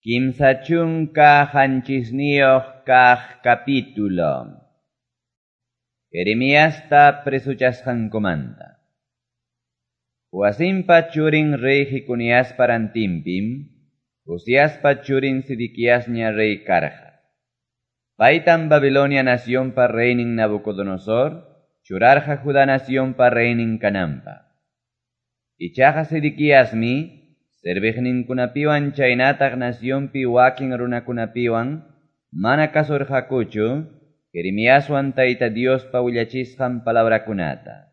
37 kaq capítulo. Jeremiasta presochasqankumanta. Joacimpa churin rey Jeconiaspa rantinpim, Josiaspa churin Sedequiasña rey karqa. Paytam Babilonia nacionpa reynin Nabucodonosor churarqa Judá nacionpa reynin kananpaq. Ichaqa Sedequiasmi serviqninkunapiwan chaynataq nacionpi wakin runakunapiwan mana kasurqakuchu Jeremiaswan Tayta Diospa willachisqan palabrakunata.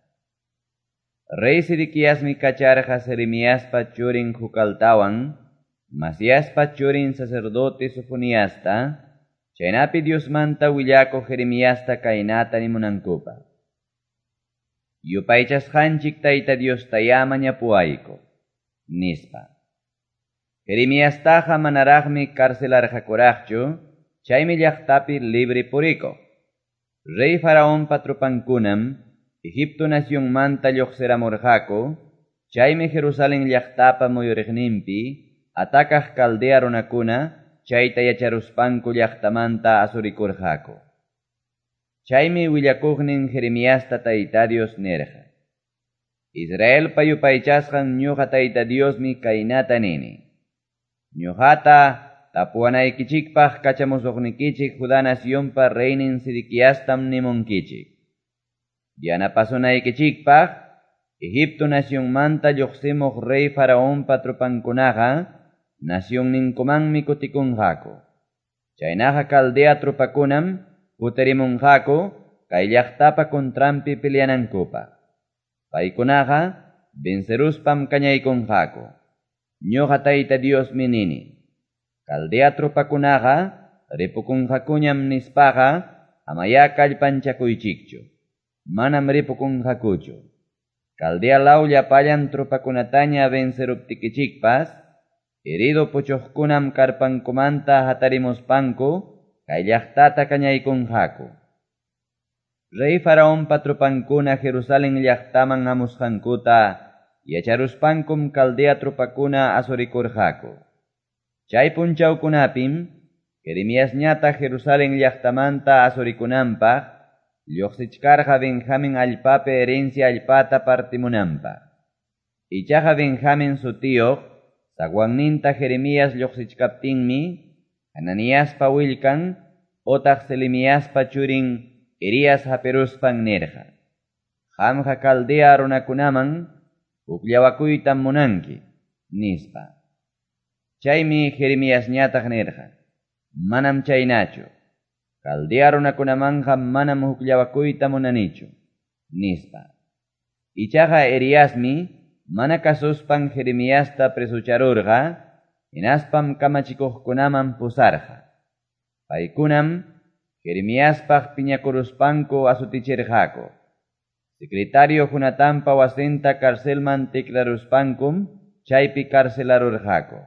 Rey Sedequiasmi kacharqa Jeremiaspa churin Jucaltawan, Masiaspa churin sacerdote Sofoniasta, chaynapi Diosmanta willakuq Jeremiasta kaynata nimunankupaq. Yupaychasqanchik Tayta Diostayá mañapuwayku, nispa. Jeremiastaqa manaraqmi carcelarqakuraqchu, chaymi llaqtapi libre purikuq. Rey Faraonpa tropankunam Egipto nacionmanta lluqsiramurqaku, chaymi Jerusalén llaqtapa muyuriqninpi atakaq Caldea runakuna chayta yacharuspanku llaqtamanta asurikurqaku. Chaymi willakuqnin Jeremiasta Tayta Dios nirqa: Israelpa yupaychasqan ñuqa Tayta Diosmi kaynata nini. Ñuqata tapuwanaykichikpaq kachamusuqnikichik Judá nacionpa reynin Sedequiastam nimunkichik. Yanapasunaykichikpaq Egipto nacionmanta lluqsimuq rey Faraonpa tropankunaqa nacionninkumanmi kutikunqaku. Chaynaqa Caldea tropakunam kutirimunqaku kay llaqtapa contranpi peleanankupaq. Paykunaqa venceruspam kañaykunqaku. Ñuqa Tayta Diosmi nini. Caldea tropakunaqa ripukunqakuñam nispaqa amayá kallpanchakuychikchu. Manam ripukunqakuchu. Caldea law llapallan tropakunataña venceruptikichikpas, herido puchuqkunam karpankumanta hatarimuspanku kay llaqtata kañaykunqaku. Rey Faraonpa tropankuna Jerusalén llaqtaman hamusqankuta yacharuspankum Caldea tropakuna asurikurqaku. Chay punchawkunapim Jeremiasñataq Jerusalén llaqtamanta asurikunanpaq lluqsichkarqa Benjamín allpapi herencia allpata partimunanpaq. Ichaqa Benjamín sutiyuq zaguanninta Jeremías lluqsichkaptinmi Hananiaspa willkan otaq Selemiaspa churin Irías hapiruspan nirqa: Qamqa Caldea runakunaman hukllawakuytam munanki, nispa. Chaymi Jeremiasñataq nirqa: Manam chaynachu. Caldea runakunamanqa manam hukllawakuyta munanichu, nispa. Ichaqa Eriasmi mana kasuspan Jeremiasta presucharurqa, hinaspam kamachikuqkunaman pusarqa. Paykunam Jeremiaspaq piñakuruspanku asutichirqaku. Secretario Jonatanpa wasinta carcelman tikraruspankum chaypi carcelarurqaku.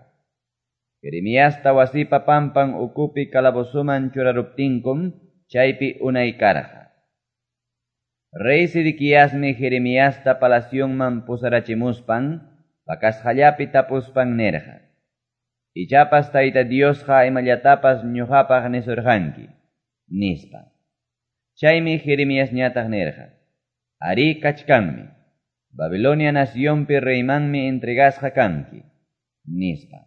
Jeremiasta wasipa pampan ukupi calabozoman churaruptinkum chaypi unay karqa. Rey Sedequiasmi Jeremiasta palacionman pusarachimuspan pakasqallapi tapuspan nirqa: Ichapas Tayta Diosqa imallatapas ñuqapaq nisurqanki, nispa. Chaymi Jeremiasñataq nirqa: Arí kachkanmi. Babilonia nacionpi reymanmi entregasqa kanki, nispa.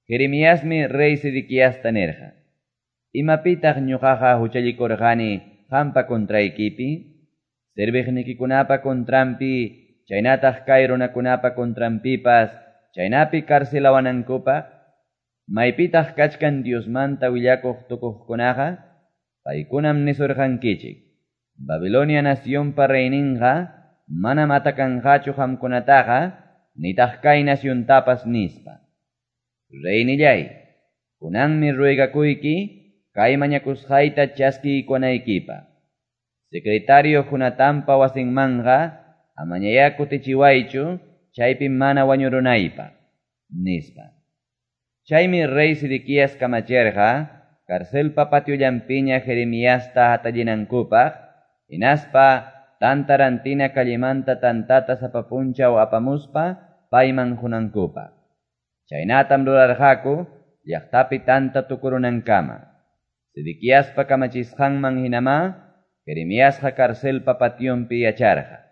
Jeremiasmi rey Sedequiasta nirqa: Imapitaq ñuqaqa huchallikurqani qampa contraykipi, serviqnikikunapa contranpi, chaynataq kay runakunapa contranpipas, chaynapi carcelawanankupaq? Maypitaq kachkan Diosmanta willakuq tukuqkunaqa? Paykunam nisurqankichik: Babilonia nacionpa reyninqa manam atakanqachu qamkunataqa, nitaq kay naciontapas, nispa. Reynillay, kunanmi ruegakuyki kay mañakusqayta chaskiykunaykipaq. Secretario Jonatanpa wasinmanqa amañayá kutichiwaychu, chaypi mana wañurunaypaq, nispa. Chaymi rey Sedequías kamachirqa carcelpa patiollanpiña Jeremiasta hatallinankupaq, hinaspa tantarantina callemanta tantata sapa punchaw apamuspa payman qunankupaq. Chaynatam rurarqaku llaqtapi tanta tukurunankama. Sedequiaspa kamachisqanman hinamá Jeremiasqa carcelpa pationpi yacharqa.